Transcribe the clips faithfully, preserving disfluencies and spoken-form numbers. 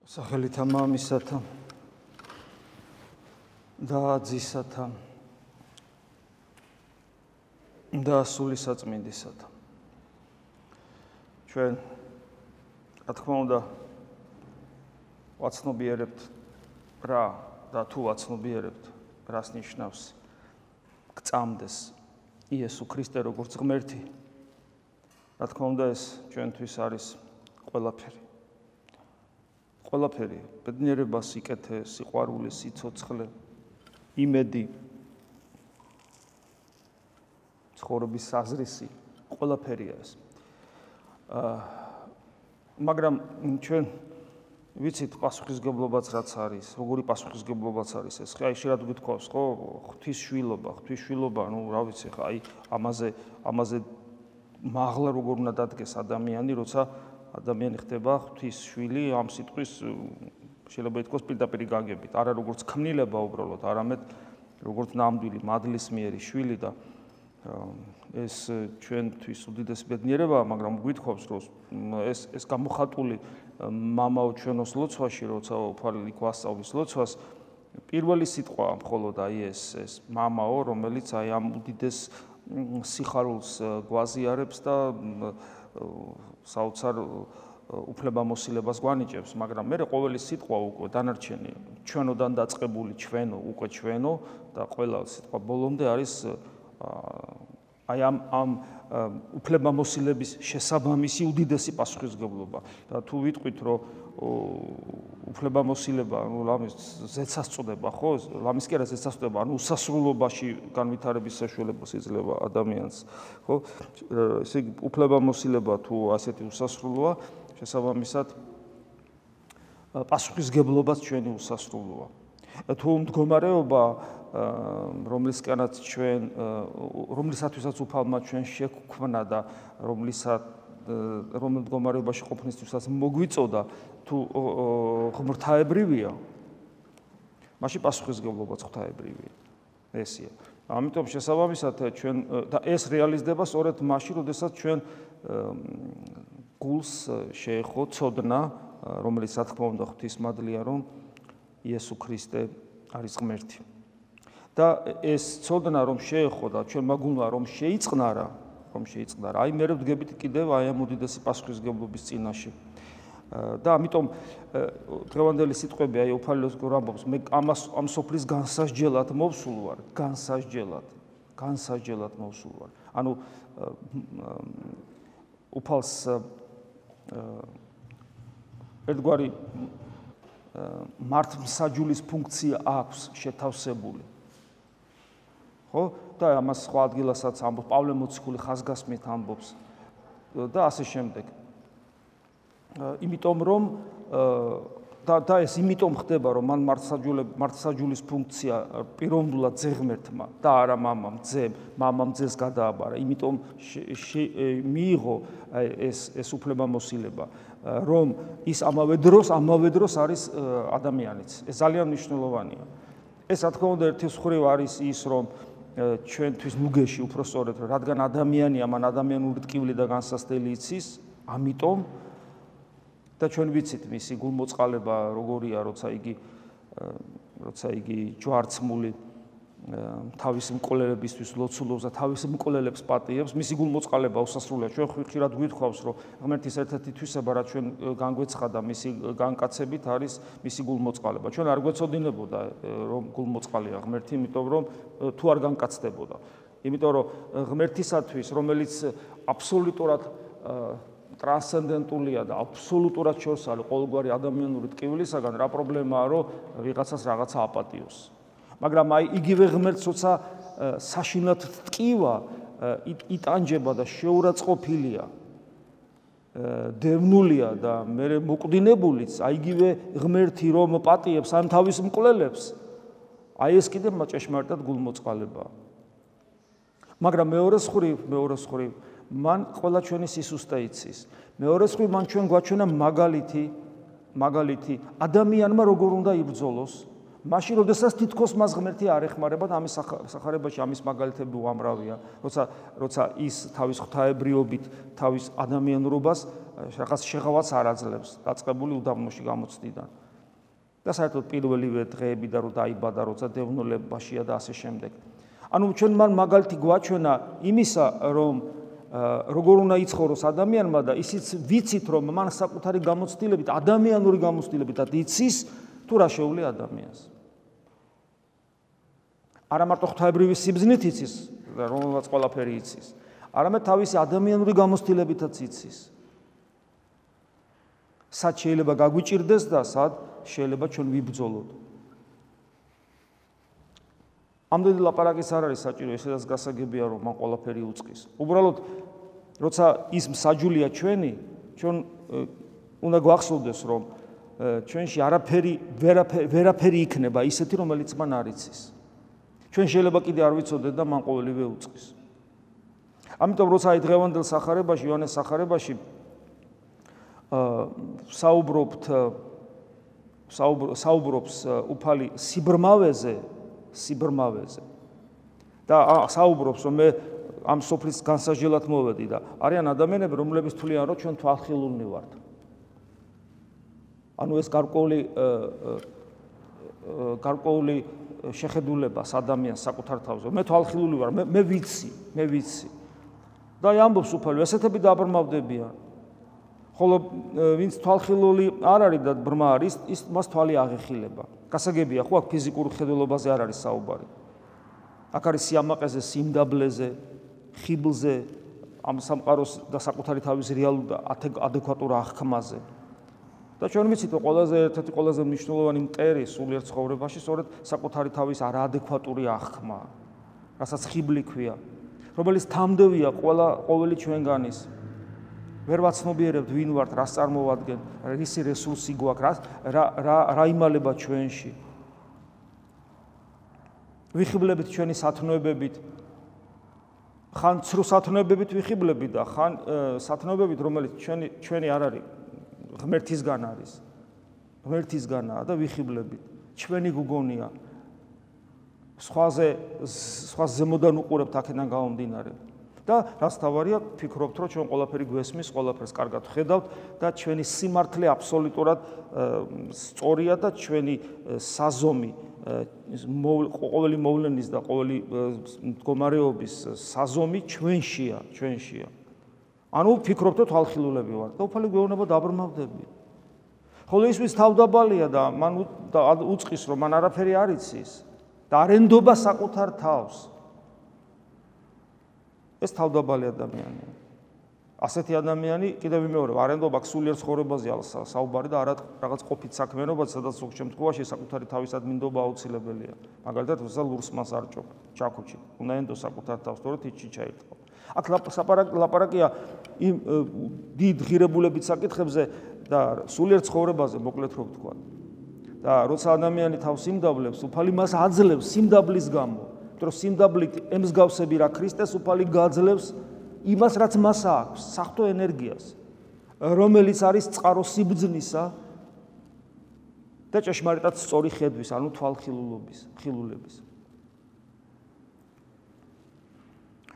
სახელითა მამისათა და ძისათა და სული საწმინდისათა. ჩვენ, რა თქმა უნდა, ვაცნობიერებთ რა და თუ ვაცნობიერებთ, რას ნიშნავს გწამდეს იესო ქრისტე როგორც ღმერთი. რა თქმა უნდა, ეს ჩვენთვის არის ყველაფერი. ყველაფერი, ბედნიერება, სიკეთე, სიყვარული, სიცოცხლე, იმედი, ცხოვრების საზრისი, ყველაფერია ეს. აა მაგრამ ჩვენ ვიცით პასუხისგებლობაც რაც არის, როგორი პასუხისგებლობაც არის ეს. აი შეიძლება გითხოვს, ხო, ღვთისშვილობა, ღვთისშვილობა, ну, რა ვიცი, ხა, აი ამაზე ამაზე მაღლა როგორ უნდა დადგეს ადამიანი, როცა ადამიანი ხდება ღვთის შვილი, ამ სიტყვის შეიძლება ითქვას პირდაპირ გაგებით, არა როგორც ქმნილება უბრალოდ, არამედ როგორც ნამდვილი მადლისმიერი შვილი და ეს ჩვენთვის უდიდესი ბედნიერებაა, მაგრამ გვითხოვს, რომ ეს ეს გამოხატული მამაო ჩვენოს ლოცვაში, როცა უფალი გვასწავლის ლოცვას, პირველი სიტყვა მხოლოდ აი ეს ეს მამაო, რომელიც აი ამ უდიდეს სიხარულს გვაზიარებს და საოცარ უფლებამოსილებას გვანიჭებს, მაგრამ მე ყოველი სიტყვა უკვე დანარჩენი ჩვენოდან დაწყებული ჩვენო, უკვე ჩვენო და ყველა სიტყვა ბოლომდე არის აი ამ ამ უფლებამოსილების შესაბამისი უდიდესი პასუხისგებლობა. და თუ ვიტყვით, რომ უფლებამოსილება, ну, ლამის ზეცას წოდება, ხო? ლამის კი არა ზეცას წოდება, ანუ უსასრულობაში განვითარების საშუალებას იძლევა ადამიანს, ხო? ესე იგი უფლებამოსილება თუ ასეთი უსასრულოა, შესაბამისად პასუხისგებლობაც ჩვენი უსასრულოა. თუ მდგომარეობა, რომლისკენაც ჩვენ, რომლისათვისაც უფალმა ჩვენ შეგვქმნა და რომლისაც რომელ მდგომარეობაში ყოფნისთვისაც მოგვიწოდა, თუ ღმრთაებრივია, მაშინ პასუხისგებლობაც ღვთაებრივია. ესია. ამიტომ შესაბამისად ჩვენ და ეს რეალიზდება სწორედ მაშინ, როდესაც ჩვენ გულს შეეხო ცოდნა, რომელიც რა თქმა უნდა ღვთისმადლია, რომ იესო ქრისტე არის ღმერთი. და ეს ცოდნა რომ შეეხო და ჩვენმა გულმა რომ შეიწყნარა, რომ შეიწყნარა, აი მე ვდგებით კიდევ აი ამ უდიდესი პასუხისგებლობის წინაშე. და ამიტომ დღევანდელი სიტყვები აი უფალოს გრამბობს, მე ამას ამ სოფლის განსასჯელად მოვსულ ვარ, განსასჯელად, განსასჯელად მოვსულ ვარ. ანუ უფალს ერთგვარი მართლმსაჯულის ფუნქცია აქვს შეთავსებული. ხო? და ამას სხვა ადგილასაც ამბობს, პავლე მოციქული ხაზგასმით ამბობს და ასე შემდეგ. იმიტომ რომ და და ეს იმიტომ ხდება, რომ მან მართლმსაჯულის ფუნქცია პიროვნულად ძეღმერთმა და არა მამამ, ძემ, მამამ ძეს გადააბარა. იმიტომ მიიღო ეს ეს უფლებამოსილება, რომ ის ამავე დროს, ამავე დროს არის ადამიანიც. ეს ძალიან მნიშვნელოვანია. ეს რა თქმა უნდა ერთის მხრივ არის ის, რომ ჩვენთვის ნუგეში უпростоრეთ, რადგან ადამიანია, მან ადამიანური ტკივილი და განსასწრელი იცის, ამიტომ და ჩვენ ვიცით მისი გულმოწყალება როგორია, როცა იგი როცა იგი ჯვარცმული თავის მკვლელებისთვის ლოცულობს და თავის მკვლელებს პატიებს, მისი გულმოწყალება უსასრულია. ჩვენ ხშირად გვითხოვს, რომ ღმერთის ერთ-ერთი თვისება, რაც ჩვენ განგვეცხადა მისი განკაცებით, არის მისი გულმოწყალება. ჩვენ არ გვეცოდინებოდა, რომ გულმოწყალია ღმერთი, იმიტომ რომ თუ არ განკაცდებოდა. იმიტომ რომ ღმერთისათვის, რომელიც აბსოლუტურად ტრანსცენდენტულია და აბსოლუტურად შორს არის ყოველგვარი ადამიანური ტკივილისაგან, რა პრობლემაა, რომ ვიღაცას რაღაცა აპატიოს. მაგრამ აი იგივე ღმერთს, როცა საშინლად ტკივა, იტანჯება და შეურაცხყოფილია, დევნულია და მე მოკვდინებულიც, აი იგივე ღმერთი რომ პატიებს ამ თავის მკვლელებს, აი ეს კიდევ ჭეშმარიტად გულმოწყალებაა. მაგრამ მეორე მხრივ, მეორე მხრივ, მან ყველა ჩვენი სისუსტე იცის. მეორე მხრივ, მან ჩვენ გვაჩვენა მაგალითი, მაგალითი ადამიანმა როგორ უნდა იბრძოლოს, მაშინ როდესაც თითქოს მას ღმერთი არ ეხმარება და ამის სახარებაში ამის მაგალითები უამრავია, როცა როცა ის თავის ღვთაებრიობით, თავის ადამიანურობას რაღაც შეღავაც არ აძლევს, დაწყებული უდაბნოში გამოცდიდან. და საერთოდ პირველივე დღეები და რო დაიბადა, როცა დევნოლებაშია და ასე შემდეგ. ანუ ჩვენ მან მაგალითი გვაჩვენა იმისა, რომ როგორ უნდა იცხოვროს ადამიანმა და ისიც ვიცით, რომ მან საკუთარი გამოცდილებით, ადამიანური გამოცდილებით იცის, თუ რა შეუძლია ადამიანს. არა მარტო ღვთაებრივი სიბრძნით იცის, რომელსაც ყველაფერი იცის, არამედ თავისი ადამიანური გამოცდილებითაც იცის. სად შეიძლება გაგვიჭირდეს და სად შეიძლება ჩვენ ვიბრძოლოთ. ამდენი ლაპარაკის არ არის საჭირო, ესეც გასაგებია, რომ მან ყველაფერი უწყის. უბრალოდ, როცა ის მსაჯულია ჩვენი, ჩვენ უნდა გვახსოვდეს, რომ ჩვენში არაფერი ვერაფერი იქნება ისეთი, რომელიც მან არ იცის. ჩვენ შეიძლება კიდე არ ვიცოდეთ და მან ყოველივე უწყის. ამიტომ როცა აი დღევანდელ სახარებაში, იოანეს სახარებაში საუბრობთ საუბრობს უფალი სიბრმავეზე, სიბრმავეზე. და საუბრობს, რომ მე ამ სოფლის განსაჯელად მოვედი და არიან ადამიანები, რომლებიც თვლიან, რომ ჩვენ თვალხილულნი ვართ. ანუ ეს გარკვეული გარკვეული შეხედულებას ადამიანს საკუთარ თავზე. მე თვალხილული ვარ, მე ვიცი, მე ვიცი. და აი ამბობს უფალი, ესეთები დააბრმავდებიან. ხოლო ვინც თვალხილული არ არის და ბრმა არის, ის მას თვალი აღეხილება. გასაგებია, ხო, აქ ფიზიკურ ხედველობაზე არ არის საუბარი. აქ არის სიამაყეზე, სიმდაბლეზე, ხიბლზე, ამ სამყაროს და საკუთარი თავის რეალურ და ადეკვატურ აღქმაზე. და ჩვენ ვიცით, რომ ყველაზე ერთ-ერთი ყველაზე მნიშვნელოვანი მტერი სულიერ ცხოვრებაში სწორედ საკუთარი თავის არაადეკვატური აღქმა, რასაც ხიბლი ქვია, რომელიც თამდევია ყველა ყოველი ჩვენგანის. ვერ ვაცნობიერებთ ვინ ვართ, რას წარმოვადგენ, რისი რესურსი გვაქვს, რა რა რა იმალება ჩვენში. ვიხიბლებით ჩვენი სათნოებებით, ხან ცრუ სათნოებებით ვიხიბლებით და ხან სათნოებებით, რომელიც ჩვენი ჩვენი არ არის, ღმერთისგან არის. ღმერთისგანაა და ვიხიბლებით. ჩვენი გუგონია. სხვაზე სხვას ზემოდან უყურებთ აქედან გამომდინარე. და რაც თავარია, ფიქრობთ, რომ ჩვენ ყველაფერი გვესმის, ყველაფერს კარგად ხედავთ და ჩვენი სიმართლე აბსოლუტურად სწორია და ჩვენი საზომი, ყოველი მოვლენის და ყოველი მდგომარეობის საზომი ჩვენშია, ჩვენშია. ანუ ფიქრობთ, რომ თვალხილულები ვართ და უფალი გვეუბნება დააბრმავდებიან. ხოლო ის ვის თავდაბალია და მან უწყის, რომ მან არაფერი არ იცის და არ ენდობა საკუთარ თავს. ეს თავდაბალი ადამიანია. ასეთი ადამიანი, კიდევ ვიმეორებ, არ ენდობა სულიერ ცხოვრებაზე საუბარი და არა რაღაც ყოფით საქმიანობაზე, სადაც ზოგ შემთხვევაში საკუთარი თავისად მინდობა აუცილებელია. მაგალითად, როცა ლურს მას არ ჭობ, ჩაქუჩი, უნდა ენდოს საკუთარ თავს, თორე თითში ჩაირთყო. აქ ლაპარაკია იმ დიდ ღირებულებით საკითხებზე და სულიერ ცხოვრებაზე, მოკლედ რო ვთქვა. და როცა ადამიანი თავს იმდაბლებს, უფალი მას აძლევს სიმდაბლის გამო. რომ სიმდაბლით ემსგავსები რა ქრისტეს უფალი გაძლევს იმას, რაც მას აქვს, საღვთო ენერგიას, რომელიც არის წყარო სიბრძნისა და ჭეშმარიტად სწორი ხედვის, ანუ თვალხილულობის, ხილულების.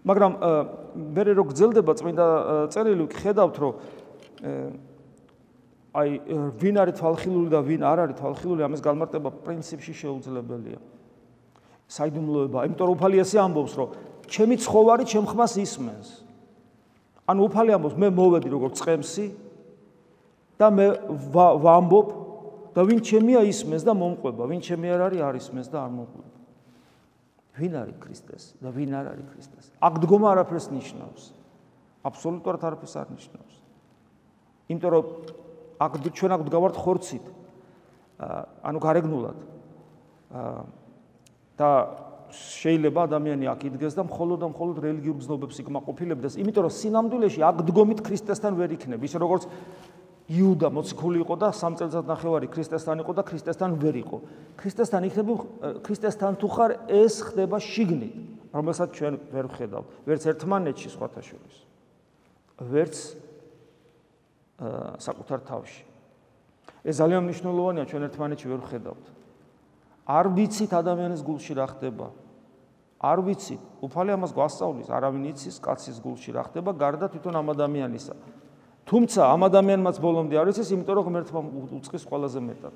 მაგრამ მე რო გძელდება წმინდა წერილი, ხედავთ, რომ აი ვინ არის თვალხილული და ვინ არ არის თვალხილული, ამის განმარტება პრინციპში შეუძლებელია. საიდუმლოება, იმიტომ რომ უფალი ასე ამბობს, რომ ჩემი ცხოვარი ჩემ ხმას ისმენს. ანუ უფალი ამბობს, მე მოვედი როგორც წყემსი და მე ვამბობ და ვინ ჩემია ისმენს და მომყვება, ვინ ჩემი არ არის, არ ისმენს და არ მომყვება. ვინ არის ქრისტეს და ვინ არ არის ქრისტეს? აქ დგომა არაფერს ნიშნავს. აბსოლუტურად არაფერს არ ნიშნავს. იმიტომ რომ აქ ჩვენ აქ ვდგავართ ხორცით. ანუ გარეგნულად. და შეიძლება ადამიანი აქ იდგეს და მხოლოდ და მხოლოდ რელიგიურ გზნობებს იკმაყოფილებდეს, იმიტომ რომ სინამდვილეში აქ დგომით ქრისტესთან ვერ იქნება, ის როგორც იუდა მოციქული იყო და სამ წელიწადნახევარი ქრისტესთან იყო და ქრისტესთან ვერ იყო. ქრისტესთან იქნება, ქრისტესთან თუ ხარ, ეს ხდება შიგნით, რომელსაც ჩვენ ვერ ვხედავთ, ვერც ერთმანეთში სხვათა შორის, ვერც საკუთარ თავში. ეს ძალიან მნიშვნელოვანია, ჩვენ ერთმანეთში ვერ ვხედავთ. არ ვიცით ადამიანის გულში რა ხდება. არ ვიცით. უფალი ამას გვასწავლის, არავინ იცის კაცის გულში რა ხდება, გარდა თვითონ ამ ადამიანისა. თუმცა ამ ადამიანმაც ბოლომდე არ იცის, იმიტომ რომ ღმერთმა უწყის ყველაზე მეტად.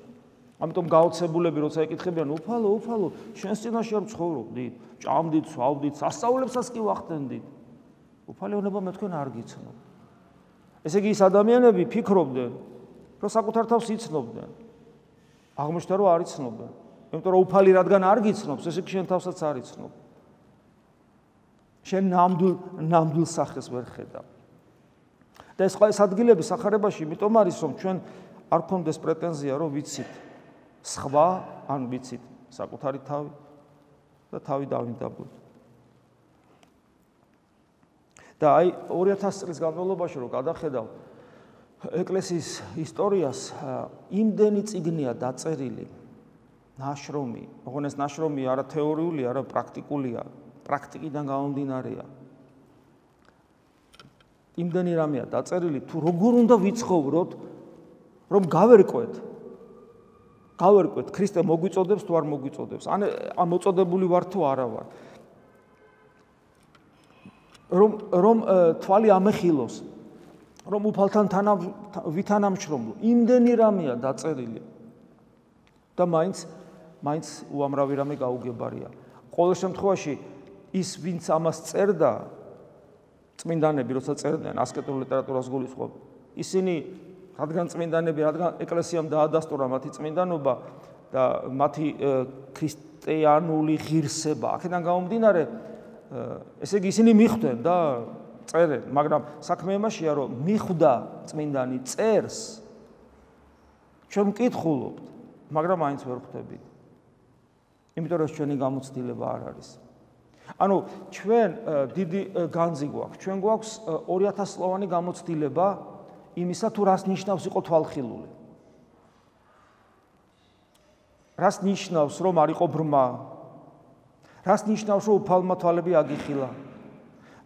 ამიტომ გაოცებულები როცა ეკითხებიან, უფალო, უფალო, შენს წინაშე არ ვცხოვრობდით, ჭამდით, სვავდით, სასწაულებსაც კი ვახდენდით. უფალი ეუბნება, მე თქვენ არ გიცნობ. ესე იგი, ის ადამიანები ფიქრობდნენ, რომ საკუთარ თავს იცნობდნენ. აღმოჩნდა, რომ არ იცნობდნენ. იმიტომ რომ უფალი რადგან არ გიცნობს, ესე იგი შენ თავსაც არ იცნობ. შენ ნამდვილ ნამდვილ სახეს ვერ ხედავ. და ეს ყველა ადგილები სახარებაში იმიტომ არის, რომ ჩვენ არ გქონდეს პრეტენზია, რომ ვიცით სხვა, ან ვიცით საკუთარი თავი და თავი დავინდაბლოთ. და აი ორი ათასი წლის განმავლობაში რომ გადახედავ ეკლესიის ისტორიას, იმდენი წიგნია დაწერილი, ნაშრომი, ოღონდ ეს ნაშრომი არა თეორიული, არა პრაქტიკულია, პრაქტიკიდან გამომდინარეა. იმდენი რამეა დაწერილი, თუ როგორ უნდა ვიცხოვროთ, რომ გავერკვეთ. გავერკვეთ, ქრისტე მოგვიწოდებს თუ არ მოგვიწოდებს. ან ამ მოწოდებული ვარ თუ არა ვარ. რომ რომ თვალი ამეხილოს, რომ უფალთან ვითანამშრომლო. იმდენი რამეა დაწერილი. და მაინც მაინც უამრავი რამე გაუგებარია. ყოველ შემთხვევაში ის ვინც ამას წერდა, წმინდანები როცა წერდნენ ასკეტურ ლიტერატურას გულისხმობ, ისინი რადგან წმინდანები, რადგან ეკლესიამ დაადასტურა მათი წმინდანობა და მათი ქრისტიანული ღირსება, აქედან გამომდინარე, ესე იგი ისინი მიხვდნენ და წერენ, მაგრამ საქმე იმაშია, რომ მიხვდა წმინდანი წერს, ჩვენ მკითხულობთ, მაგრამ აინც ვერ ხვდებით. იმიტომ რომ ჩვენი გამოცდილება არ არის. ანუ ჩვენ დიდი განძი გვაქვს, ჩვენ გვაქვს ორი ათასი წლოვანი გამოცდილება იმისა, თუ რას ნიშნავს იყო თვალხილული. რას ნიშნავს, რომ არ იყო ბრმა? რას ნიშნავს, რომ უფალმა თვალები აგიხილა?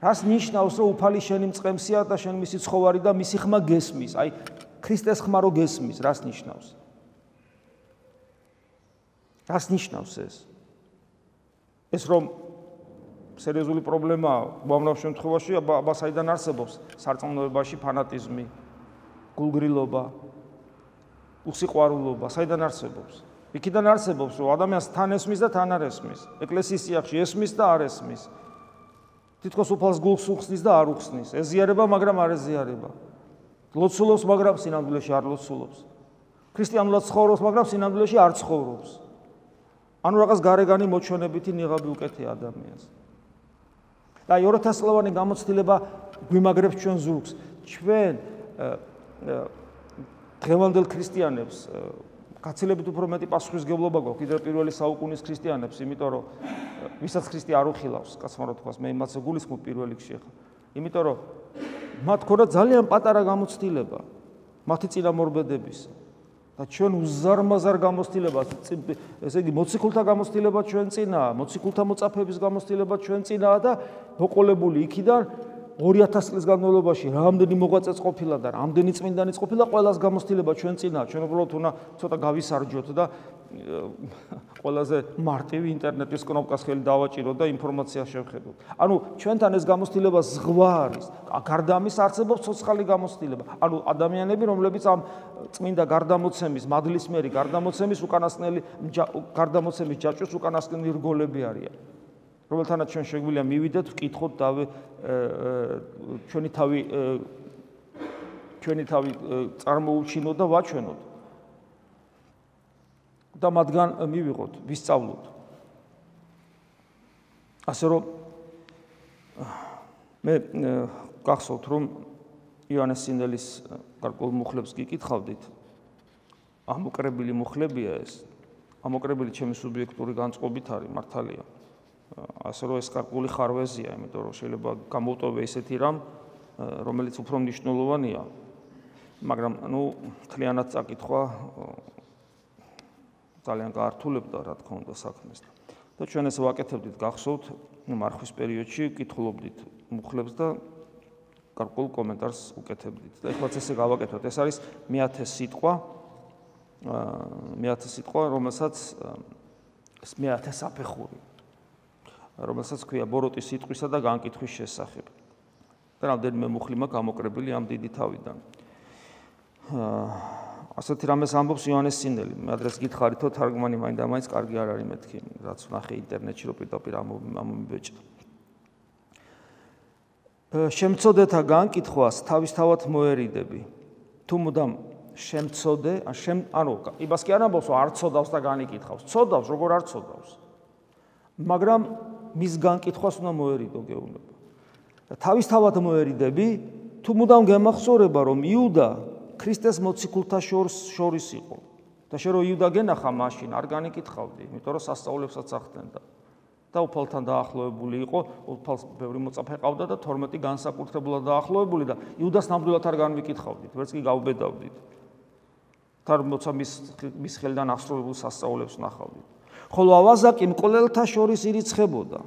რას ნიშნავს, რომ უფალი შენი მწყემსია და შენ მისი ცხოვარი და მისი ხმა გესმის? აი, ქრისტეს ხმა რო გესმის, რას ნიშნავს? რას ნიშნავს ეს? ეს რომ სერიოზული პრობლემაა, უამრავ შემთხვევაში აბა საიდან არსებობს სარწმუნოებაში ფანატიზმი, გულგრილობა, უსიყვარულობა, საიდან არსებობს? იქიდან არსებობს, რომ ადამიანს თან ესმის და თან არ ესმის. ეკლესიის წიაღში ესმის და არ ესმის. თითქოს უფალს გულს უხსნის და არ უხსნის. ეზიარება, მაგრამ არ ეზიარება. ლოცულობს, მაგრამ სინამდვილეში არ ლოცულობს. ქრისტიანულად ცხოვრობს, მაგრამ სინამდვილეში არ ცხოვრობს. ანუ რაღაც გარეგანი მოჩვენებითი ნიღაბი უკეთია ადამიანს. და აი ორი ათასი წლოვანი გამოცდილება გვიმაგრებს ჩვენ ზურგს. ჩვენ დღევანდელ ქრისტიანებს გაცილებით უფრო მეტი პასუხისმგებლობა გვაქვს კიდევ პირველი საუკუნის ქრისტიანებს, იმიტომ რომ ვისაც ქრისტე არ უხილავს, კაცმა რო თქვას, მე იმასაც გულისხმობ პირველ რიგში ახლა. იმიტომ რომ მათ ქონდა ძალიან პატარა გამოცდილება მათი წინამორბედების. და ჩვენ უზარმაზარ გამოცდილებას, ესე იგი მოციქულთა გამოცდილება ჩვენ წინაა, მოციქულთა მოწაფეების გამოცდილება ჩვენ წინაა და მოყოლებული იქიდან ორი ათასი წლის განმავლობაში რამდენი მოღვაწეც ყოფილა და რამდენი წმინდანიც ყოფილა, ყველას გამოცდილება ჩვენ წინაა. ჩვენ უბრალოდ უნდა ცოტა გავისარჯოთ და ყველაზე მარტივი ინტერნეტის კნოპკას ხელი დავაჭიროთ და ინფორმაცია შევხედოთ. ანუ ჩვენთან ეს გამოცდილება ზღვა არის. გარდა ამის არსებობს ცოცხალი გამოცდილება. ანუ ადამიანები, რომლებიც ამ წმინდა გარდამოცემის, მადლისმერი გარდამოცემის უკანასკნელი გარდამოცემის ჯაჭვის უკანასკნელი რგოლები არიან. რომელთანაც ჩვენ შეგვიძლია მივიდეთ, ვკითხოთ და ჩვენი თავი ჩვენი თავი წარმოუჩინოთ და ვაჩვენოთ. და მათგან მივიღოთ, ვისწავლოთ. ასე რომ მე გახსოვთ, რომ იონეს სინელის გარკვეულ მუხლებს გიკითხავდით. ამოკრებილი მუხლებია ეს. ამოკრებილი ჩემი სუბიექტური განწყობით არის, მართალია. ასე რომ ეს გარკვეული ხარვეზია, იმიტომ რომ შეიძლება გამოვტოვე ისეთი რამ, რომელიც უფრო მნიშვნელოვანია, მაგრამ ნუ მთლიანად წაკითხვა ძალიან გაართულებდა, რა თქმა უნდა, საქმეს. და ჩვენ ეს ვაკეთებდით, გახსოვთ, მარხვის პერიოდში კითხულობდით მუხლებს და გარკვეულ კომენტარს უკეთებდით. და ეხლაც ესე გავაკეთოთ. ეს არის მეათე სიტყვა, მეათე სიტყვა, რომელსაც ეს მეათე საფეხური, რომელსაც ქვია ბოროტის სიტყვისა და განკითხვის შესახებ. და რამდენიმე მუხლი მაქვს გამოკრებილი ამ დიდი თავიდან. ასეთი რამეს ამბობს იოანეს სინელი. მე ადრეს გითხარითო თარგმანი მაინდა მაინც კარგი არ არის მეთქი, რაც ვნახე ინტერნეტში რომ პირდაპირ ამომიბეჭდა. შემწოდეთა განკითხვას თავისთავად მოერიდები. თუ მუდამ შემწოდე, ანუ იმას კი არ ამბობს, რომ არ ცოდავს და განიკითხავს. ცოდავს, როგორ არ ცოდავს. მაგრამ მის განკითხვას უნდა მოერიდო გეუბნება. თავისთავად მოერიდები, თუ მუდამ გემახსოვრება, რომ იუდა ქრისტეს მოციქულთა შორის იყო. და შე რომ იუდა გენახა მაშინ არ განიკითხავდი, იმიტომ რომ სასწაულებსაც ახდენდა. და უფალთან დაახლოებული იყო, უფალს ბევრი მოწაფე ყავდა და თორმეტი განსაკუთრებულად დაახლოებული და იუდას ნამდვილად არ განვიკითხავდით, ვერც კი გავბედავდით. თორმოცა მის მის ხელიდან აღსრულებულ სასწაულებს ნახავდით. ხოლო ავაზაკი მკვლელთა შორის ირიცხებოდა,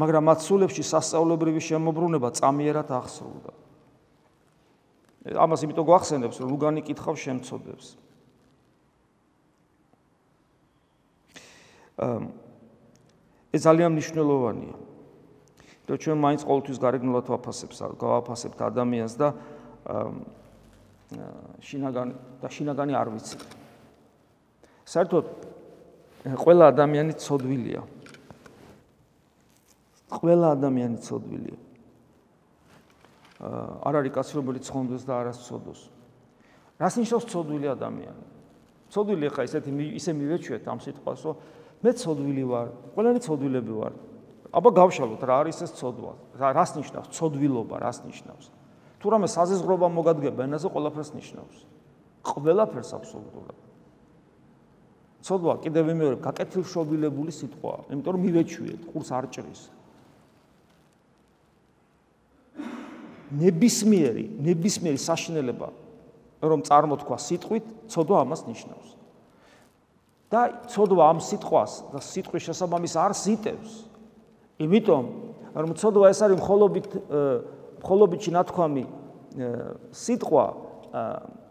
მაგრამ მათ სულებში სასწაულებრივი შემოbrunება წამიერად აღსრულდა. ამას იმიტომ გვახსენებს, რომ რუგანი კითხავს შემწოდებს. ეს ძალიან მნიშვნელოვანია. და ჩვენ მაინც ყოველთვის გარეგნულად ვაფასებს, გავაფასებთ ადამიანს და შინაგანი და შინაგანი არ ვიცით. საერთოდ ყველა ადამიანი ცოდვილია. ყველა ადამიანი ცოდვილია. არ არის კაცი, რომელიც ცხონდეს და არას ცოდოს. რას ნიშნავს ცოდვილი ადამიანი? ცოდვილი ხა ისეთი ისე მივეჩვიეთ ამ სიტყვას, რომ მე ცოდვილი ვარ, ყველანი ცოდვილები ვარ. აბა გავშალოთ რა არის ეს ცოდვა? რას ნიშნავს ცოდვილობა, რას ნიშნავს? თუ რამე საზეზღრობა მოგადგება ენაზე ყველაფერს ნიშნავს. ყველაფერს აბსოლუტურად. ცოდვა კიდევ მეორე გაკეთილშობილებული სიტყვაა, იმიტომ რომ მივეჩვიეთ, ყურს არ ჭრის. ნებისმიერი, ნებისმიერი საშინელება, რომ წარმოთქვა სიტყვით, ცოდვა ამას ნიშნავს. და ცოდვა ამ სიტყვას და სიტყვის შესაბამის არს იტევს. იმიტომ, რომ ცოდვა ეს არის მხოლობით მხოლობითში ნათქვამი სიტყვა,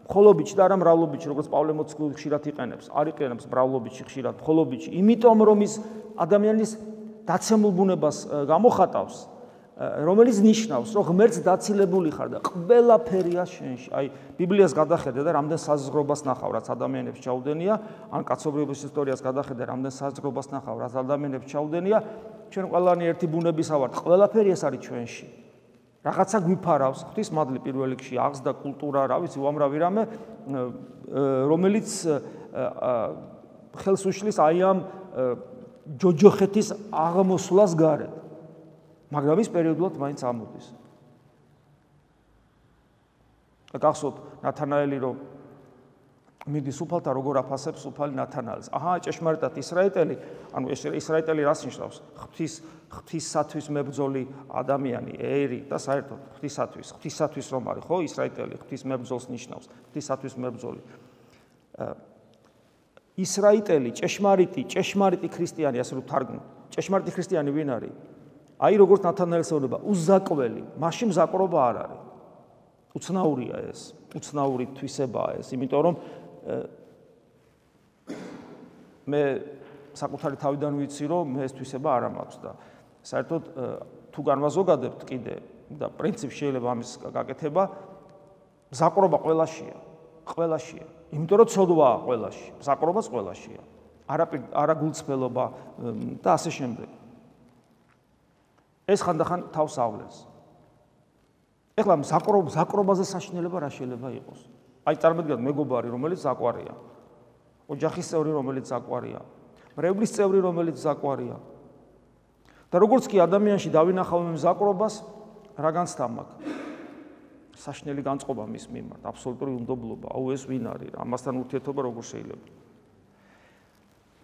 მხოლობითში და არა მრავლობითში, როგორც პავლე მოციქული ხშირად იყენებს, არ იყენებს მრავლობითში ხშირად, მხოლობითში, იმიტომ რომ ის ადამიანის დაცემულ ბუნებას გამოხატავს, რომელიც ნიშნავს, რომ ღმერთს დაცილებული ხარ და ყველაფერია შენში. აი, ბიბლიას გადახედე და რამდენ საზღრობას ნახავ, რაც ადამიანებს ჩაუდენია, ან კაცობრიობის ისტორიას გადახედე, რამდენ საზღრობას ნახავ, რაც ადამიანებს ჩაუდენია, ჩვენ ყველანი ერთი ბუნებისა ვართ, ყველაფერი ეს არის ჩვენში. რაღაცა გვიფარავს, ღვთისმადლი პირველ რიგში, აღზრდა, კულტურა, რა ვიცი, უამრავი რამე, რომელიც ხელს უშლის აი ამ ჯოჯოხეთის აღმოსვლას გარეთ. მაგრამ ის პერიოდულად მაინც ამოდის. გახსოვთ ნათანაელი რომ მიდის უფალთან როგორ აფასებს უფალი ნათანაელს. აჰა, ჭეშმარიტად ისრაელელი, ანუ ეს ისრაელელი რას ნიშნავს? ღვთის ღვთისათვის მებრძოლი ადამიანი, ერი და საერთოდ ღვთისათვის, ღვთისათვის რომ არის, ხო, ისრაელელი ღვთის მებრძოლს ნიშნავს, ღვთისათვის მებრძოლი. ისრაელელი ჭეშმარიტი, ჭეშმარიტი ქრისტიანი, ასე რომ თარგმნ. ჭეშმარიტი ქრისტიანი ვინ არის? აი როგორც ნათანაელს ეუბნება, უზაკველი, მაშინ მზაკრობა არ არის. უცნაურია ეს, უცნაური თვისებაა ეს, იმიტომ რომ მე საკუთარი თავიდან ვიცი, რომ მე ეს თვისება არ მაქვს და საერთოდ თუ განვაზოგადებთ კიდე და პრინციპი შეიძლება ამის გაკეთება, მზაკრობა ყველაშია, ყველაშია. იმიტომ რომ ცოდვაა ყველაში, მზაკრობაც ყველაშია. არა არა გულწრფელობა და ასე შემდეგ. ეს ხანდახან თავს ავლენს. ეხლა მზაკრობა, მზაკრობაზე საშინელება რა შეიძლება იყოს? აი წარმოგიდგენთ მეგობარი, რომელიც ზაკვარია. ოჯახის წევრი, რომელიც ზაკვარია. მრევლის წევრი, რომელიც ზაკვარია. და როგორც კი ადამიანში დავინახავ მზაკრობას, რა განცდა მაქვს? საშინელი განწყობა მის მიმართ, აბსოლუტური უნდობლობა. აუ ეს ვინ არის? ამასთან ურთიერთობა როგორ შეიძლება?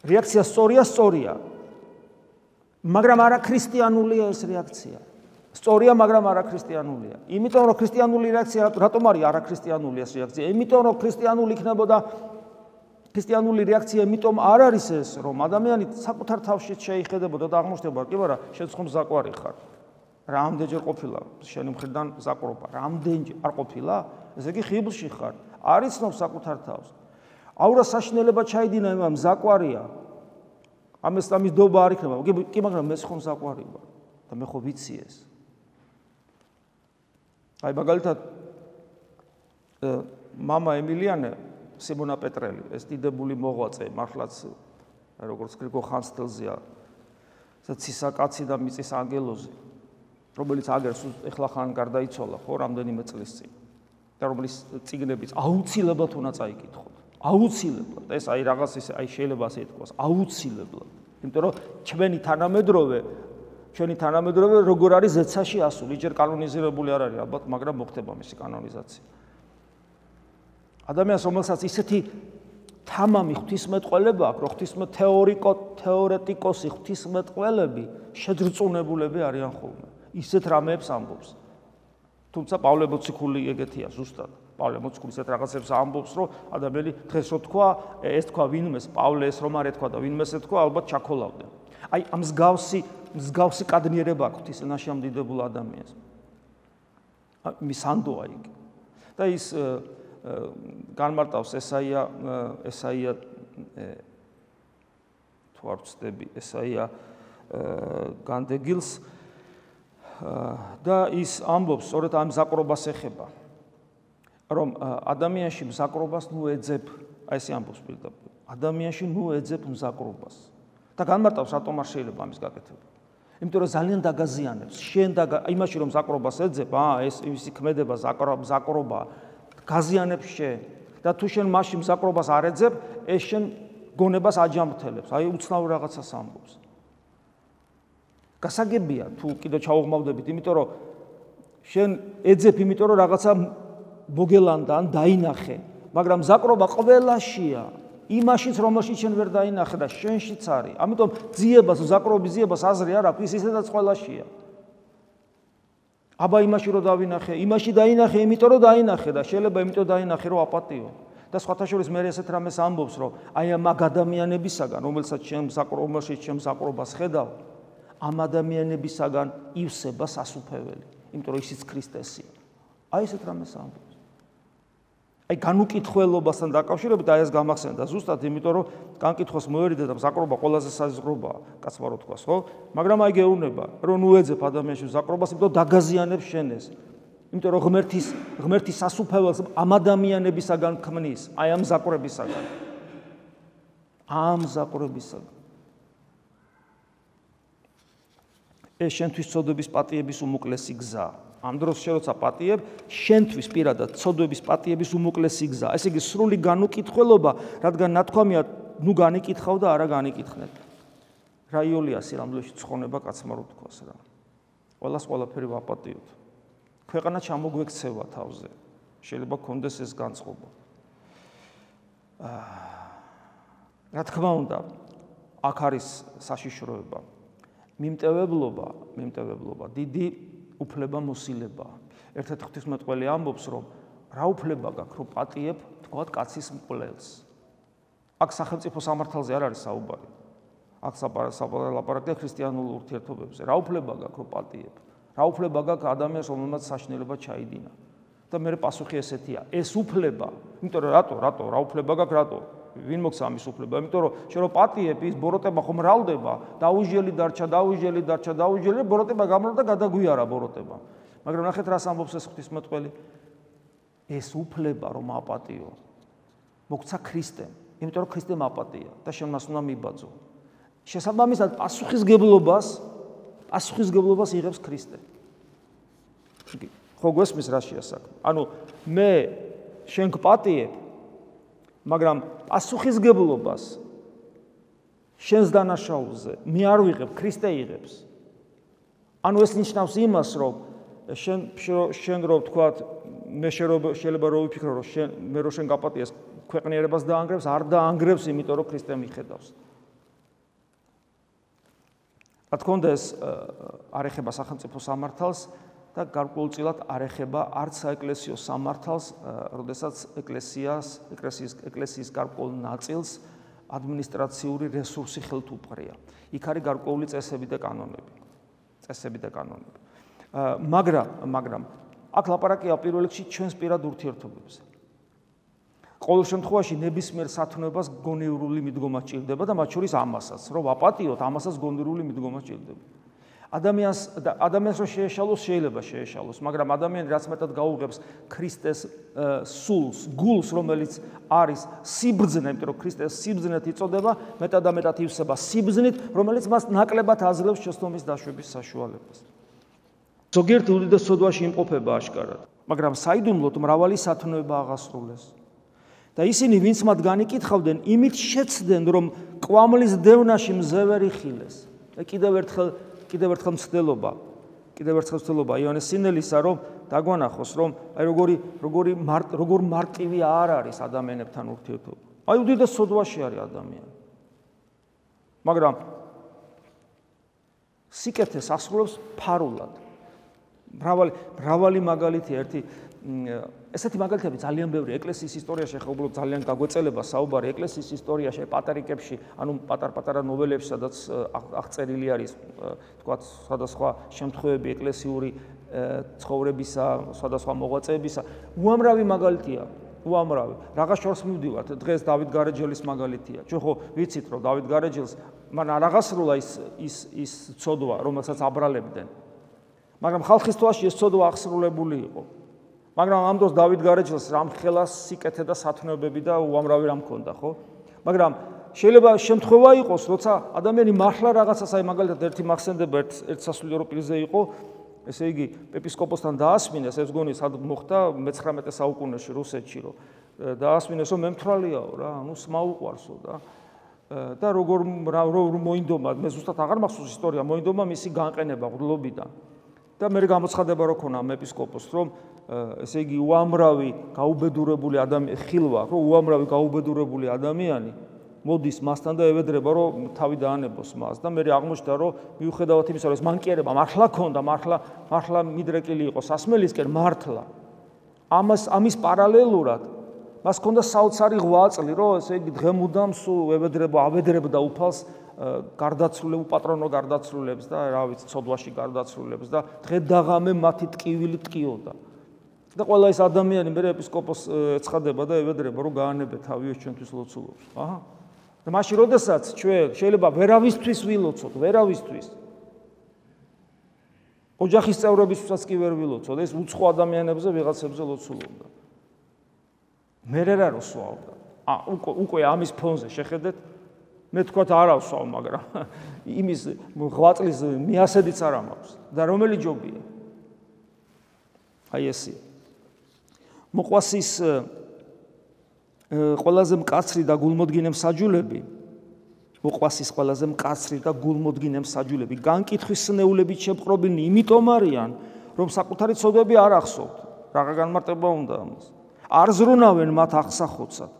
რეაქცია სწორია, სწორია. მაგრამ არა ქრისტიანულია ეს რეაქცია. სწორია, მაგრამ არა ქრისტიანულია. იმიტომ რომ ქრისტიანული რეაქცია რატომ არის არა ქრისტიანული ეს რეაქცია? იმიტომ რომ ქრისტიანული იქნებოდა ქრისტიანული რეაქცია, იმიტომ არ არის ეს, რომ ადამიანი საკუთარ თავში შეიხედებოდა და აღმოჩნდება, კი არა, შენ ხომ ზაკვარი ხარ. რამდენჯერ ყოფილა შენი მხრიდან ზაკვარობა? რამდენჯერ არ ყოფილა? ესე იგი ხიბლში ხარ. არ იცნობს საკუთარ თავს. აურა საშინელება ჩაიდინა, მაგრამ ზაკვარია. ამას ამის დობა არ იქნება. კი, მაგრამ მე ხომ საყვარი ვარ და მე ხო ვიცი ეს. აი მაგალითად მამა ემილიანე სიმონა პეტრელი, ეს დიდებული მოღვაწე, მართლაც როგორც გრიგო ხანძთელზეა, ცისა კაცი და მიწის ანგელოზი, რომელიც აგერს ეხლა ხან გარდაიცვალა, ხო, რამდენიმე წლის წინ. და რომლის წიგნებიც აუცილებლად უნდა წაიკითხოთ. აუცილებლად. ეს აი რაღაც ის აი შეიძლება ასე ითქვას, აუცილებლად. იმიტომ რომ ჩვენი თანამედროვე, ჩვენი თანამედროვე როგორ არის ზეცაში ასული, ჯერ კანონიზირებული არ არის ალბათ, მაგრამ მოხდება მისი კანონიზაცია. ადამიანს რომელსაც ისეთი თამამი ღვთისმეტყველება აქვს, რომ ღვთისმეტ თეორიკო თეორეტიკოსი ღვთისმეტყველები შეძრწუნებულები არიან ხოლმე. ისეთ რამეებს ამბობს. თუმცა პავლე მოციქული ეგეთია ზუსტად. პავლე მოციქული ისეთ რაღაცებს ამბობს, რომ ადამიანი დღეს რო თქვა, ეს თქვა ვინმეს, პავლე ეს რომ არ ეთქვა და ვინმეს ეთქვა, ალბათ ჩაქოლავდნენ. აი ამ მსგავსი მსგავსი კადნიერება აქვს ის ენაში ამ დიდებულ ადამიანს. მისანდოა იგი. და ის განმარტავს ესაია ესაია თუ არ ვცდები ესაია განდეგილს და ის ამბობს სწორედ ამ მზაკრობას ეხება რომ ადამიანში მზაკრობას ნუ ეძებ აი ესე ამბობს პირდაპირ ადამიანში ნუ ეძებ მზაკრობას და განმარტავს რატომ არ შეიძლება ამის გაკეთება იმიტომ რომ ძალიან დაგაზიანებს შენ და იმაში რომ მზაკრობას ეძებ აა ეს ისი ქმედება მზაკრობა გაზიანებს შენ და თუ შენ მასში მზაკრობას არ ეძებ ეს შენ გონებას აჯამრთელებს აი უცნაურ რაღაცას ამბობს გასაგებია თუ კიდე ჩაუღმავდებით იმიტომ რომ შენ ეძებ იმიტომ რომ რაღაცა მოგელანდა ან დაინახე მაგრამ მზაკრობა ყველაშია იმაშიც რომელშიც შენ ვერ დაინახე და შენშიც არის ამიტომ ძიებას მზაკრობის ძიებას აზრი არ აქვს ისედაც ყველაშია აბა იმაში რომ დავინახე, იმაში დაინახე, იმიტომ რომ დაინახე და შეიძლება იმიტომ დაინახე რომ აპატიო. და სხვათა შორის მე ესეთ რამეს ამბობს რომ აი ამ ადამიანებისაგან, რომელსაც ჩემ საკრომაში ჩემ საკრობას ხედავ, ამ ადამიანებისაგან ივსება სასუფეველი, იმიტომ რომ ისიც ქრისტესია. აი ესეთ რამეს ამბობს. აი განუკითხველობასთან დაკავშირებით აი ეს გამახსენდა ზუსტად იმიტომ რომ განკითხოს მოერიდა და საკრობა ყველაზე საზღრობაა, კაცმა რო თქვას, ხო? მაგრამ აი გეუბნება, რომ ნუ ეძებ ადამიანში საკრობას, იმიტომ რომ დაგაზიანებს შენ ეს. იმიტომ რომ ღმერთის ღმერთის სასუფეველს ამ ადამიანებისაგან ქმნის, აი ამ საკრებისაგან. ამ საკრებისაგან. ეს შენთვის ცოდვების პატიების უმოკლესი გზაა. ამ დროს შენ როცა პატიებ, შენთვის პირადად ცოდვების პატიების უმოკლესი გზაა. ესე იგი სრული განუკითხველობა, რადგან ნათქვამია, ნუ განიკითხავ და არა განიკითხნეთ. რა იოლიასი რამლეში ცხონება კაცმა რო თქვას რა. ყველას ყველაფერი ვაპატიოთ. ქვეყანა ჩამოგვექცევა თავზე. შეიძლება გქონდეს ეს განწყობა. რა თქმა უნდა, აქ არის საშიშროება. მიმტევებლობა, მიმტევებლობა, დიდი უფლება მოსილება. ერთ-ერთ ღვთისმეტყველი ამბობს, რომ რა უფლება გაქვს, რომ პატიებ, თქვათ, კაცის მკვლელს. აქ სახელმწიფო სამართალზე არ არის საუბარი. აქ ლაპარაკია ქრისტიანულ ურთიერთობებზე. რა უფლება გაქვს, რომ პატიებ? რა უფლება გაქვს ადამიანს, რომელმაც საშინელება ჩაიდინა? და მე პასუხი ესეთია. ეს უფლება, იმიტომ რომ რატო, რატო, რა უფლება გაქვს, რატო? ვინ მოგცა ამის უფლება? იმიტომ რომ შენ რო პატიებ, ის ბოროტება ხომ მრავლდება, დაუჟელი დარჩა, დაუჟელი დარჩა, დაუჟელი, ბოროტება გამრავლდა, გადაგვიარა ბოროტება. მაგრამ ნახეთ რას ამბობს ეს ღვთისმეტყველი? ეს უფლება რომ აპატიო, მოგცა ქრისტემ, იმიტომ რომ ქრისტემ აპატია და შენ მას უნდა მიბაძო. შესაბამისად პასუხისგებლობას, პასუხისგებლობას იღებს ქრისტე. ხო გვესმის რა შეასაქმე? ანუ მე შენ გპატიებ მაგრამ პასუხისგებლობას შენს დანაშაულზე მე არ ვიღებ, ქრისტე იღებს. ანუ ეს ნიშნავს იმას, რომ შენ შენ რო ვთქვათ, მე შეიძლება რო ვიფიქრო, რომ შენ მე რო შენ გაპატიეს ქვეყნიერებას დაანგრევს, არ დაანგრევს, იმიტომ რომ ქრისტე მიხედავს. რა თქმა უნდა ეს არ ეხება სახელმწიფო სამართალს და გარკვეულწილად არ ეხება არც საეკლესიო სამართალს, როდესაც ეკლესიას, ეკლესიის ეკლესიის გარკვეულ ნაწილს ადმინისტრაციული რესურსი ხელთ უპყრია. იქ არის გარკვეული წესები და კანონები. წესები და კანონები. მაგრამ, მაგრამ აქ ლაპარაკია პირველ რიგში ჩვენს პირად ურთიერთობებზე. ყოველ შემთხვევაში ნებისმიერ სათნოებას გონივრული მიდგომა სჭირდება და მათ შორის ამასაც, რომ ვაპატიოთ, ამასაც გონივრული მიდგომა სჭირდება. ადამიანს ადამიანს რო შეეშალოს, შეიძლება შეეშალოს, მაგრამ ადამიანი რაც მეტად გაუღებს ქრისტეს სულს, გულს, რომელიც არის სიბრძნე, იმიტომ რომ ქრისტეს სიბრძნეთ იწოდება, მეტად და მეტად ივსება სიბრძნით, რომელიც მას ნაკლებად აძლევს შეცდომის დაშვების საშუალებას. ზოგიერთი უდიდეს ცოდვაში იმყოფება აშკარად, მაგრამ საიდუმლოდ მრავალი სათნოება აღასრულეს. და ისინი, ვინც მათ განიკითხავდნენ, იმით შეცდნენ, რომ კვამლის დევნაში მზევერი ხილეს. და კიდევ ერთხელ კიდევ ერთხელ მცდელობა, კიდევ ერთხელ მცდელობა იონეს სინელისა, რომ დაგვანახოს, რომ აი როგორი როგორი როგორ მარტივი არ არის ადამიანებთან ურთიერთობა. აი უდიდეს ცოდვაში არის ადამიანი. მაგრამ სიკეთეს ასრულებს ფარულად. მრავალი მრავალი მაგალითი ერთი ესეთი მაგალითები ძალიან ბევრი ეკლესიის ისტორიაში ახლა უბრალოდ ძალიან გაგვეწელება საუბარი ეკლესიის ისტორიაში პატარიკებში, ანუ პატარ-პატარა ნოველებში, სადაც აღწერილი არის, თქვათ, სხვადასხვა შემთხვევები ეკლესიური ცხოვრებისა, სხვადასხვა მოღვაწეებისა, უამრავი მაგალითია, უამრავი. რაღაც შორს მივდივართ, დღეს დავით გარეჯელის მაგალითია. ჩვენ ხო ვიცით, რომ დავით გარეჯელს მან არ აღასრულა ის ის ის ცოდვა, რომელსაც აბრალებდნენ. მაგრამ ხალხის თვალში ეს ცოდვა აღსრულებული იყო. მაგრამ ამ დროს დავით გარეჯელს რამ ხელას სიკეთე და სათნოებები და უამრავი რამ ჰქონდა, ხო? მაგრამ შეიძლება შემთხვევა იყოს, როცა ადამიანი მართლა რაღაცას, აი მაგალითად ერთი მახსენდება ერთ ერთ სასულიერო პირზე იყო, ესე იგი ეპისკოპოსთან დაასმინეს, ეს გონი სად მოხდა მეცხრამეტე საუკუნეში რუსეთში, რომ დაასმინეს, რომ მემთვრალიაო რა, ანუ სმაუყვარსო და და როგორ როგორ მოინდომა, მე ზუსტად აღარ მახსოვს ისტორია, მოინდომა მისი განყენება ღვთლობიდან. და მე გამოცხადება რო ქონა ამ ეპისკოპოსს, რომ ესე იგი უამრავი გაუბედურებული ადამიანი ხილვა, რომ უამრავი გაუბედურებული ადამიანი მოდის მასთან და ევედრება, რომ თავი დაანებოს მას და მე აღმოჩნდა, რომ მიუხედავად იმისა, რომ ეს მანკიერება მართლა ქონდა, მართლა მართლა მიდრეკილი იყო სასმელისკენ მართლა. ამას ამის პარალელურად მას ქონდა საოცარი ღვაწლი, რომ ესე იგი დღემუდამ სულ ევედრება, ავედრებდა უფალს გარდაცვლილებს, უპატრონო გარდაცვლილებს და რა ვიცი, ცოდვაში გარდაცვლილებს და დღე დაღამე მათი ტკივილი ტკიოდა. და ყველა ეს ადამიანი მე ეპისკოპოსს ეცხადება და ევედრება, რომ გაანებე თავი ჩვენთვის ლოცულობს. აჰა. და მაშინ როდესაც ჩვენ შეიძლება ვერავისთვის ვილოცოთ, ვერავისთვის. ოჯახის წევრებისთვისაც კი ვერ ვილოცოთ, ეს უცხო ადამიანებზე ვიღაცებზე ლოცულობდა. მე რა რო სვავდა. ა უკვე ამის ფონზე შეხედეთ, მე თქვათ არა ვსვავ, მაგრამ იმის ღვაწლის მიასედიც არ მაქვს და რომელი ჯობია. აი ესე. მოყვასის ყველაზე მკაცრი და გულმოდგინე მსაჯულები, მოყვასის ყველაზე მკაცრი და გულმოდგინე მსაჯულები, განკითხვის სნეულებით შეპყრობილნი იმიტომ არიან, რომ საკუთარი ცოდვები არ ახსოვთ. რაღა განმარტება უნდა ამას. არ ზრუნავენ მათ აღსახოცად.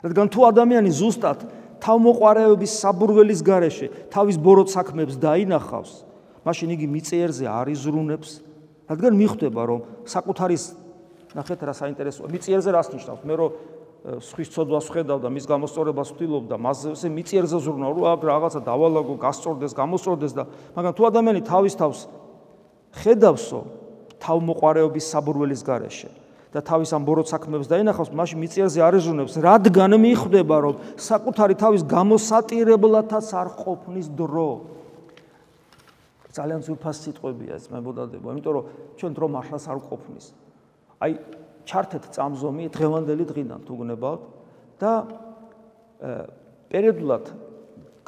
რადგან თუ ადამიანი ზუსტად თავმოყარეობის საბურველის გარეშე თავის ბოროტ საქმეებს დაინახავს, მაშინ იგი მიწიერზე არ იზრუნებს, რადგან მიხვდება, რომ საკუთარის ნახეთ რა საინტერესოა, მიწიერზე რას ნიშნავს? მე რომ სხვის ცოდვას ვხედავ და მის გამოსწორებას ვთვლობ და მასზე მიწიერზე ზრუნავ, რომ აქ რაღაცა დავალაგო, გასწორდეს, გამოსწორდეს და მაგრამ თუ ადამიანი თავის თავს ხედავსო თავმოყარეობის საბურველის გარეშე და თავის ამ ბოროტ საქმეებს დაინახავს, მაშინ მიწიერზე არ იზრუნებს, რადგან მიხვდება, რომ საკუთარი თავის გამოსატირებლათაც არ ყოფნის დრო. ძალიან ძვირფას სიტყვებია ეს მებოდადება, იმიტომ რომ ჩვენ დრო მართლაც არ ყოფნის. აი ჩართეთ წამზომი დღევანდელი დღიდან თუ გნებავთ და პერიოდულად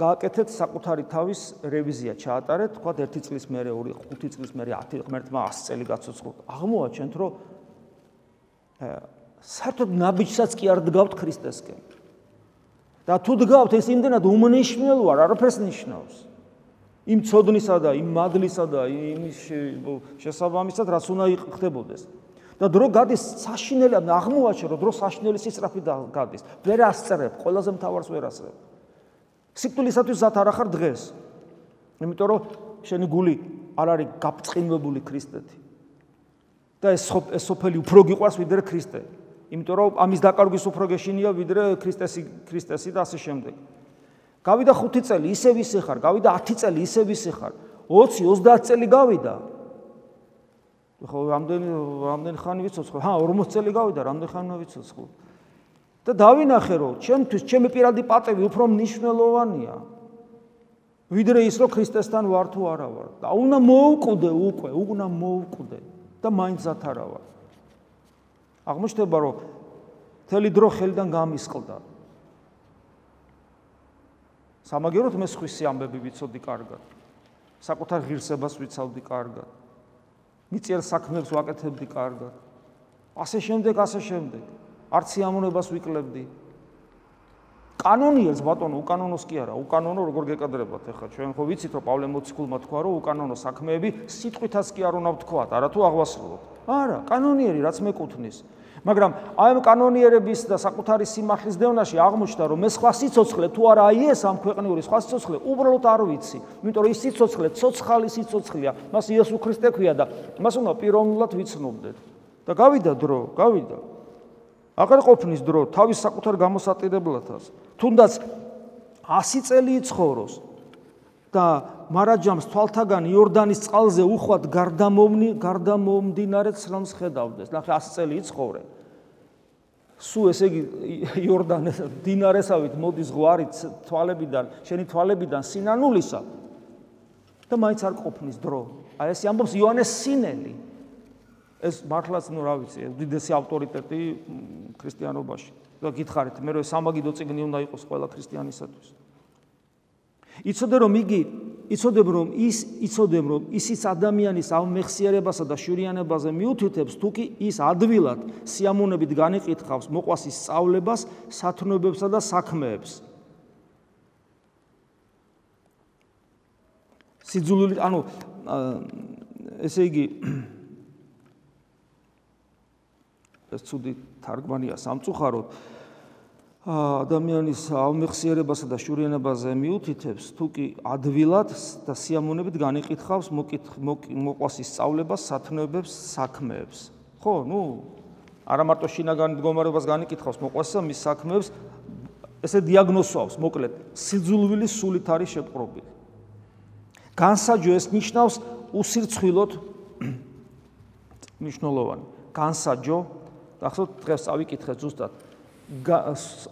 გააკეთეთ საკუთარი თავის რევიზია ჩაატარეთ, თქვათ ერთი წლის მერე, ორი, ხუთი წლის მერე, ათი ღმერთმა ასი წელი გაცოცხლოთ. აღმოაჩენთ, რომ საერთოდ ნაბიჯსაც კი არ დგავთ ქრისტესკენ. და თუ დგავთ, ეს იმდენად უმნიშვნელოა, არაფერს ნიშნავს. იმ ცოდნისა და იმ მადლისა და იმის შესაბამისად, რაც უნდა ხდებოდეს. და დრო გადის საშინელი, აღმოაჩენ, რომ დრო საშინელი სისწრაფით გადის. ვერ ასწრებ, ყველაზე მთავარს ვერ ასწრებ. სიკვდილისათვის ზათ არ ახარ დღეს. იმიტომ რომ შენი გული არ არის გაფწყინვებული ქრისტეთი. და ეს ეს სოფელი უფრო გიყვარს ვიდრე ქრისტე. იმიტომ რომ ამის დაკარგვის უფრო გეშინია ვიდრე ქრისტესი ქრისტესი და ასე შემდეგ. გავიდა ხუთი წელი, ისევ ისე ხარ, გავიდა ათი წელი, ისევ ისე ხარ. ოცი, ოცდაათი წელი გავიდა. ხო, რამდენი რამდენი ხანი ვიცოცხლო? ჰა, ორმოცი წელი გავიდა, რამდენი ხანი ვიცოცხლო? და დავინახე, რომ ჩემთვის ჩემი პირადი პატივი უფრო მნიშვნელოვანია, ვიდრე ის, რომ ქრისტესთან ვარ თუ არა ვარ. და უნდა მოვკვდე უკვე, უნდა მოვკვდე და მაინც ათ არა ვარ. აღმოჩნდება, რომ მთელი დრო ხელიდან გამისყლდა. სამაგეროთ მე სხვისი ამბები ვიცოდი კარგად. საკუთარ ღირსებას ვიცავდი კარგად. მიწიერ საქმეებს ვაკეთებდი კარგად. ასე შემდეგ, ასე შემდეგ. არც სიამოვნებას ვიკლებდი. კანონიერს ბატონო, უკანონოს კი არა, უკანონო როგორ გეკადრებათ ახლა ჩვენ ხო ვიცით რომ პავლე მოციქულმა თქვა რომ უკანონო საქმეები სიტყვითაც კი არ უნდა ვთქვათ, არა თუ აღვასრულოთ. არა, კანონიერი რაც მეკუთვნის. მაგრამ აი ამ კანონიერების და საკუთარი სიმართლის დევნაში აღმოჩნდა რომ მე სხვა სიცოცხლე თუ არა აი ეს ამ ქვეყნიური სხვა სიცოცხლე უბრალოდ არ ვიცი. იმიტომ რომ ის სიცოცხლე ცოცხალი სიცოცხლეა, მას იესო ქრისტე ქვია და მას უნდა პიროვნულად ვიცნობდეთ. და გავიდა დრო, გავიდა. აღარ ყოფნის დრო თავის საკუთარ გამოსატირებლათას. თუნდაც ასი წელი იცხოვროს და მარაჯამს თვალთაგან იორდანის წყალზე უხვად გარდამოვნი გარდამომდინარე ცრემლს ხედავდეს. ნახე ასი წელი იცხოვრე. სულ ესე იგი იორდანის დინარესავით მოდის ზღვარი თვალებიდან, შენი თვალებიდან სინანულისა და მაინც არ ყოფნის დრო. აი ეს ამბობს იოანეს სინელი. ეს მართლაც ნუ რა ვიცი, უდიდესი ავტორიტეტი ქრისტიანობაში. და გითხარით, მე რომ სამაგიდო წიგნი უნდა იყოს ყველა ქრისტიანისათვის. იცოდე რომ იგი, იცოდებ რომ ის, იცოდებ რომ ისიც ადამიანის ამეხსიერებასა და შურიანებაზე მიუთითებს, თუ კი ის ადვილად სიამოვნებით განიკითხავს მოყვასის სწავლებას, სათნოებებსა და საქმეებს. სიძულვილი, ანუ ესე იგი ეს ცუდი თარგმანია სამწუხაროდ ადამიანის ამეხსიერებასა და შურიანებაზე მიუთითებს, თუ კი ადვილად და სიამოვნებით განიკითხავს მოყვასის სწავლებას, სათნოებებს, საქმეებს. ხო, ნუ არა მარტო შინაგან მდგომარეობას განიკითხავს მოყვასისა, მის საქმეებს, ესე დიაგნოზავს, მოკლედ, სიძულვილის სულით არის შეპყრობილი. განსაჯო ეს ნიშნავს უსირცხვილოდ მნიშვნელოვანი. განსაჯო ახსოვთ დღეს წავიკითხეთ ზუსტად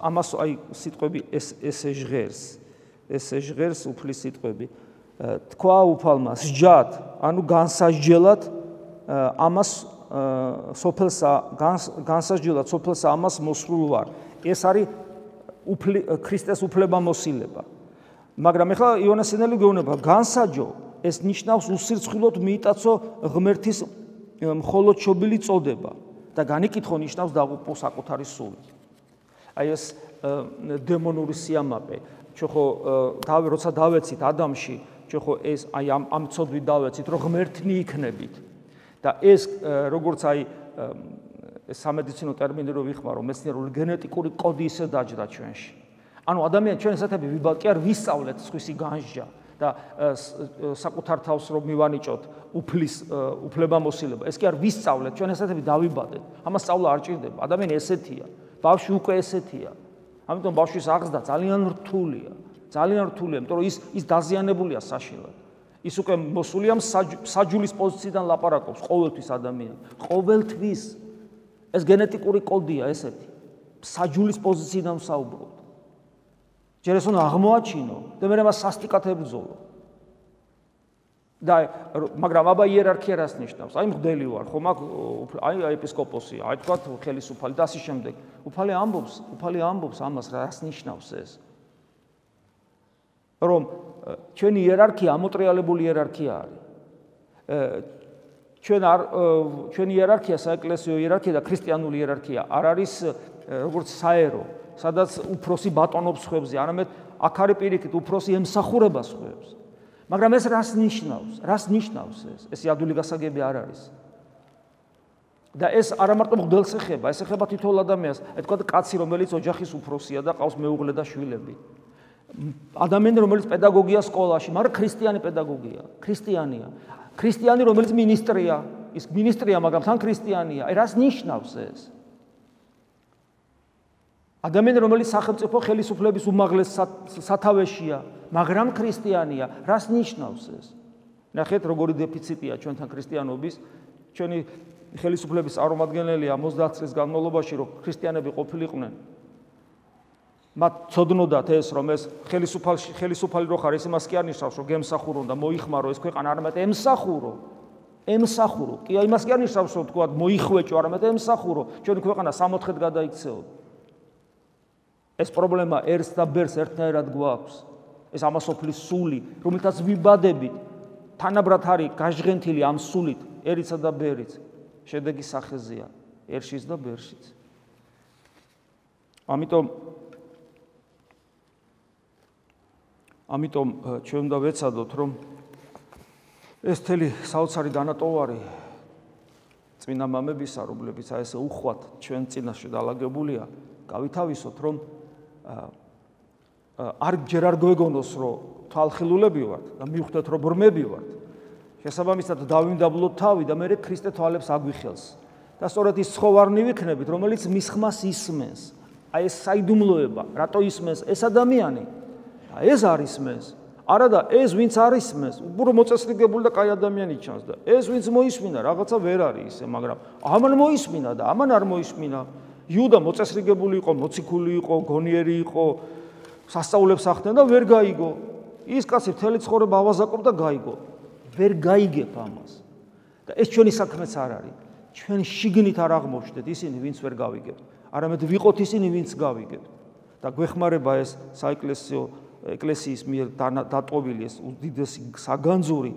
ამას აი სიტყვები ეს ესე ჟღერს ესე ჟღერს უფლის სიტყვები თქვა უფალმა სჯად ანუ განსაჯელად ამას სოფელსა განსაჯელად სოფელსა ამას მოსრულ ვარ ეს არის ქრისტეს უფლებამოსილება მაგრამ ეხლა იონასინელი გეუბნება განსაჯო ეს ნიშნავს უსირცხვილოდ მიიტაცო ღმერთის მხოლოდ შობილი წოდება და განიკითხო ნიშნავს დაღუპო საკუთარი სული. აი ეს დემონური სიამაყე, ჩვენ ხო როცა დავეცით ადამიანში, ჩვენ ხო ეს აი ამ ამ ცოდვით დავეცით, რომ ღმერთნი იქნებით. და ეს როგორც აი სამედიცინო ტერმინი რო ვიხმარო, მეცნიერული გენეტიკური კოდი ისე დაჯდა ჩვენში. ანუ ადამიანს ჩვენ ესეთები ვიბალ კი არ ვისწავლეთ სხვისი განსჯა და საკუთარ თავს რომ მივანიჭოთ უფლის უფლებამოსილება ეს კი არ ვისწავლეთ ჩვენ ესეთები დავიბადეთ ამას სწავლა არ ჭირდება ადამიანი ესეთია ბავშვი უკვე ესეთია ამიტომ ბავშვის აღზრდა ძალიან რთულია ძალიან რთულია იმიტომ რომ ის ის დაზიანებულია საშინლად ის უკვე მოსულია საჯულის პოზიციიდან ლაპარაკობს ყოველთვის ადამიანი ყოველთვის ეს გენეტიკური კოდია ესეთი საჯულის პოზიციიდან ვსაუბრობ ჯერ ეს უნდა აღმოაჩინო და მე მას სასტიკად ებრძოლო. და მაგრამ აბა იერარქია რას ნიშნავს? აი მღვდელი ვარ, ხომ აქ აი ეპისკოპოსი, აი თქვა ხელისუფალი და ასე შემდეგ. უფალი ამბობს, უფალი ამბობს ამას რას ნიშნავს ეს? რომ ჩვენი იერარქია ამოტრიალებული იერარქია არის. ჩვენ არ ჩვენი იერარქია, საეკლესიო იერარქია და ქრისტიანული იერარქია არ არის როგორც საერო სადაც უფროსი ბატონობს ხვებზე, არამედ აქ არის პირიქით უფროსი ემსახურება ხვებს. მაგრამ ეს რას ნიშნავს? რას ნიშნავს ეს? ეს ადვილი გასაგები არ არის. და ეს არა მარტო მღვდელს ეხება, ეს ეხება თითოეულ ადამიანს. აი თქვა კაცი, რომელიც ოჯახის უფროსია და ყავს მეუღლე და შვილები. ადამიანი, რომელიც პედაგოგია სკოლაში, მაგრამ ქრისტიანი პედაგოგია, ქრისტიანია. ქრისტიანი, რომელიც მინისტრია, ის მინისტრია, მაგრამ თან ქრისტიანია. აი რას ნიშნავს ეს? ადამიანი, რომელიც სახელმწიფო ხელისუფლების უმაღლეს სათავეშია, მაგრამ ქრისტიანია, რას ნიშნავს ეს? ნახეთ, როგორი დეფიციტია ჩვენთან ქრისტიანობის, ჩვენი ხელისუფლების წარმომადგენელია ოცდაათ წლის განმავლობაში, რომ ქრისტიანები ყოფილიყვნენ, მათ ცოდნოდათ ეს რომ ეს ხელისუფალი ხელისუფალი რო ხარ, ეს იმას კი არ ნიშნავს რომ გემსახურო და მოიხმარო ეს ქვეყანა, არამედ ემსახურო. ემსახურო. კი იმას კი არ ნიშნავს რომ თქვა მოიხვეჭო, არამედ ემსახურო. ჩვენი ქვეყანა სამოთხედ გადაიქცეო. ეს პრობლემა ერთს და ბერს ერთნაირად გვაქვს. ეს ამასოფლის სული, რომელთაც ვიბადებით, თანაბრად არის გაჟღენთილი ამ სულით,ერიცა და ბერიც. შედეგი სახეზეა, ერშიც და ბერშიც. ამიტომ ამიტომ ჩვენ უნდა ვეცადოთ, რომ ეს თელი საოცარი დანატოვარი წმინდა მამებისა, რომლებიც აი ესე უხვად ჩვენ წინაშე დალაგებულია, გავითავისოთ, რომ არ ჯერ არ გვეგონოს, რომ თვალხილულები ვართ და მივხვდეთ, რომ ბრმები ვართ. შესაბამისად დავიმდაბლოთ თავი და მე ქრისტე თვალებს აგვიხელს. და სწორედ ის ცხოვარნი ვიქნებით, რომელიც მის ხმას ისმენს. აი ეს საიდუმლოება, რატო ისმენს ეს ადამიანი? და ეს არ ისმენს. არა და ეს ვინც არ ისმენს, უბრალოდ მოწესრიგებული და კაი ადამიანი ჩანს და ეს ვინც მოისმინა, რაღაცა ვერ არის ისე, მაგრამ ამან მოისმინა და ამან არ მოისმინა. იუდა მოწესრიგებული იყო, მოციქული იყო, გონიერი იყო, სასწაულებს ახდენდა და ვერ გაიგო. ის კაცი მთელი ცხოვრება ავაზაკობდა და გაიგო. ვერ გაიგებ ამას. და ეს ჩვენი საქმეც არ არის. ჩვენ შიგნით არ აღმოჩნდეთ ისინი, ვინც ვერ გავიგებთ. არამედ ვიყოთ ისინი, ვინც გავიგებთ. და გვეხმარება ეს საეკლესიო ეკლესიის მიერ დატოვილი ეს უდიდესი საგანძური,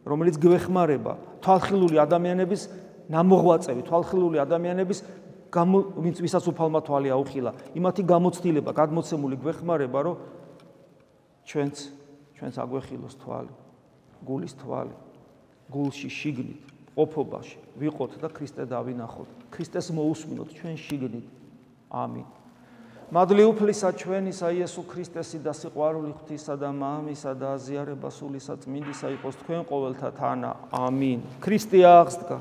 რომელიც გვეხმარება თვალხილული ადამიანების ნამოღვაწევი, თვალხილული ადამიანების ვინც ვისაც უფალმა თვალი აუხილა, იმათი გამოცდილება, გადმოცემული გვეხმარება, რომ ჩვენც ჩვენც აგვეხილოს თვალი, გულის თვალი, გულში შიგნით, ყოფობაში ვიყოთ და ქრისტე დავინახოთ. ქრისტეს მოусმინოთ ჩვენ შიგნით. ამინ. მადლი უფლისა ჩვენისა იესო ქრისტესი და სიყვარული ღვთისა და მამისა და აზიარება სულისა წმინდისა იყოს თქვენ ყოველთა თანა. ამინ. ქრისტე აღსდგა.